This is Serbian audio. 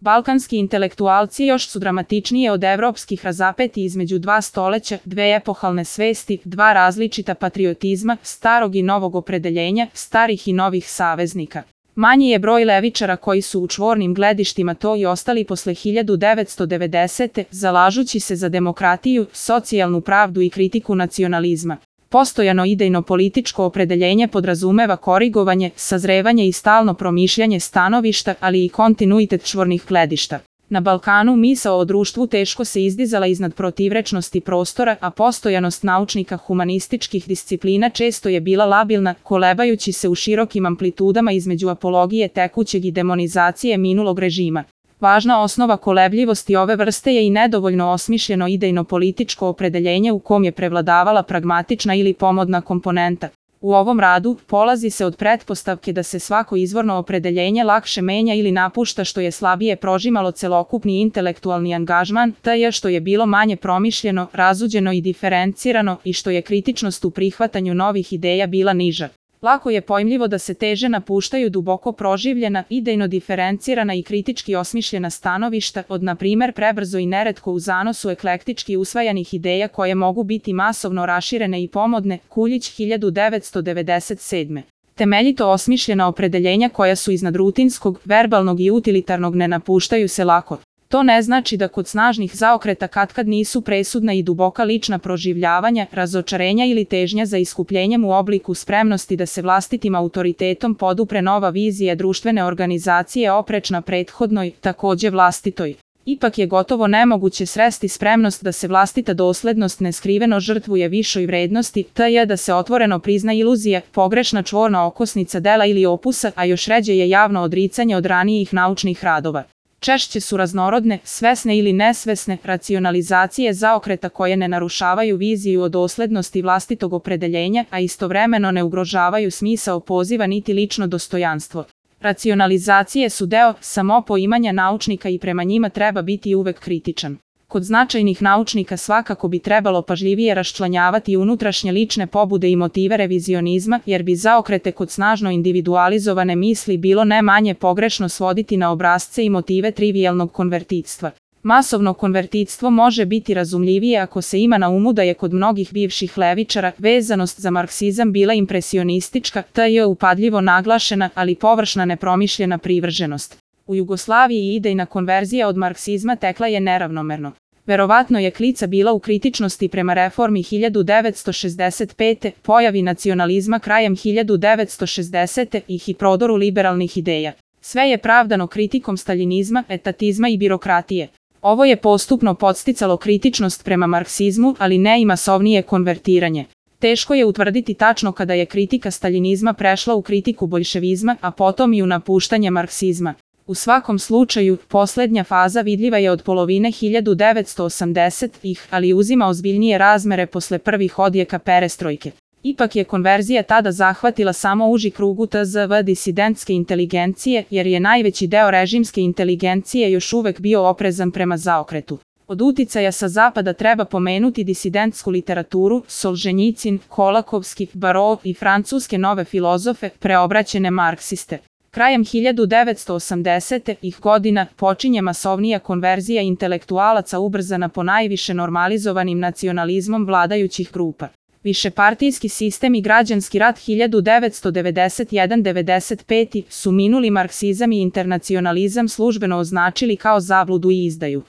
Balkanski intelektualci još su dramatičnije od evropskih razapeti između dva stoleća, dve epohalne svesti, dva različita patriotizma, starog i novog opredeljenja, starih i novih saveznika. Manji je broj levičara koji su u čvornim gledištima to i ostali posle 1990. zalažući se za demokratiju, socijalnu pravdu i kritiku nacionalizma. Postojano idejno političko opredeljenje podrazumeva korigovanje, sazrevanje i stalno promišljanje stanovišta, ali i kontinuitet čvornih gledišta. Na Balkanu misao o društvu teško se izdizala iznad protivrečnosti prostora, a postojanost naučnika humanističkih disciplina često je bila labilna, kolebajući se u širokim amplitudama između apologije tekućeg i demonizacije minulog režima. Važna osnova kolebljivosti ove vrste je i nedovoljno osmišljeno idejno političko opredeljenje u kom je prevladavala pragmatična ili pomodna komponenta. U ovom radu polazi se od pretpostavke da se svako izvorno opredeljenje lakše menja ili napušta što je slabije prožimalo celokupni intelektualni angažman, te što je bilo manje promišljeno, razuđeno i diferencirano i što je kritičnost u prihvatanju novih ideja bila niža. Lako je pojmljivo da se teže napuštaju duboko proživljena, idejno diferencirana i kritički osmišljena stanovišta od, na primer, prebrzo i neretko u zanosu eklektički usvajanih ideja koje mogu biti masovno raširene i pomodne. Kuljić 1997. Temeljito osmišljena opredeljenja koja su iznad rutinskog, verbalnog i utilitarnog ne napuštaju se lako. To ne znači da kod snažnih zaokreta katkad nisu presudna i duboka lična proživljavanja, razočarenja ili težnja za iskupljenjem u obliku spremnosti da se vlastitim autoritetom podupre nova vizija društvene organizacije oprečna prethodnoj, takođe vlastitoj. Ipak je gotovo nemoguće sresti spremnost da se vlastita doslednost neskriveno žrtvuje višoj vrednosti, te da se otvoreno prizna iluzija, pogrešna čvorna okosnica dela ili opusa, a još ređe je javno odricanje od ranijih naučnih radova. Češće su raznorodne, svesne ili nesvesne, racionalizacije zaokreta koje ne narušavaju viziju o doslednosti vlastitog opredeljenja, a istovremeno ne ugrožavaju smisao poziva niti lično dostojanstvo. Racionalizacije su deo samopoimanja naučnika i prema njima treba biti uvek kritičan. Kod značajnih naučnika svakako bi trebalo pažljivije raščlanjavati unutrašnje lične pobude i motive revizionizma, jer bi zaokrete kod snažno individualizovane misli bilo ne manje pogrešno svoditi na obrasce i motive trivijalnog konvertitstva. Masovno konvertitstvo može biti razumljivije ako se ima na umu da je kod mnogih bivših levičara vezanost za marksizam bila impresionistička, te je upadljivo naglašena, ali površna nepromišljena privrženost. U Jugoslaviji idejna konverzija od marksizma tekla je neravnomerno. Verovatno je klica bila u kritičnosti prema reformi 1965. pojavi nacionalizma krajem 1960. i prodoru liberalnih ideja. Sve je pravdano kritikom staljinizma, etatizma i birokratije. Ovo je postupno podsticalo kritičnost prema marksizmu, ali ne i masovnije konvertiranje. Teško je utvrditi tačno kada je kritika staljinizma prešla u kritiku boljševizma, a potom i u napuštanje marksizma. U svakom slučaju, poslednja faza vidljiva je od polovine 1980-ih, ali uzima ozbiljnije razmere posle prvih odjeka perestrojke. Ipak je konverzija tada zahvatila samo uži krug tzv. Disidentske inteligencije, jer je najveći deo režimske inteligencije još uvek bio oprezan prema zaokretu. Od uticaja sa zapada treba pomenuti disidentsku literaturu, Solženjicin, Kolakovski, Barov i francuske nove filozofe, preobraćene marksiste. Krajem 1980-ih godina počinje masovnija konverzija intelektualaca ubrzana po najviše normalizovanim nacionalizmom vladajućih grupa. Višepartijski sistem i građanski rat 1991-95 su minuli marksizam i internacionalizam službeno označili kao zabludu i izdaju.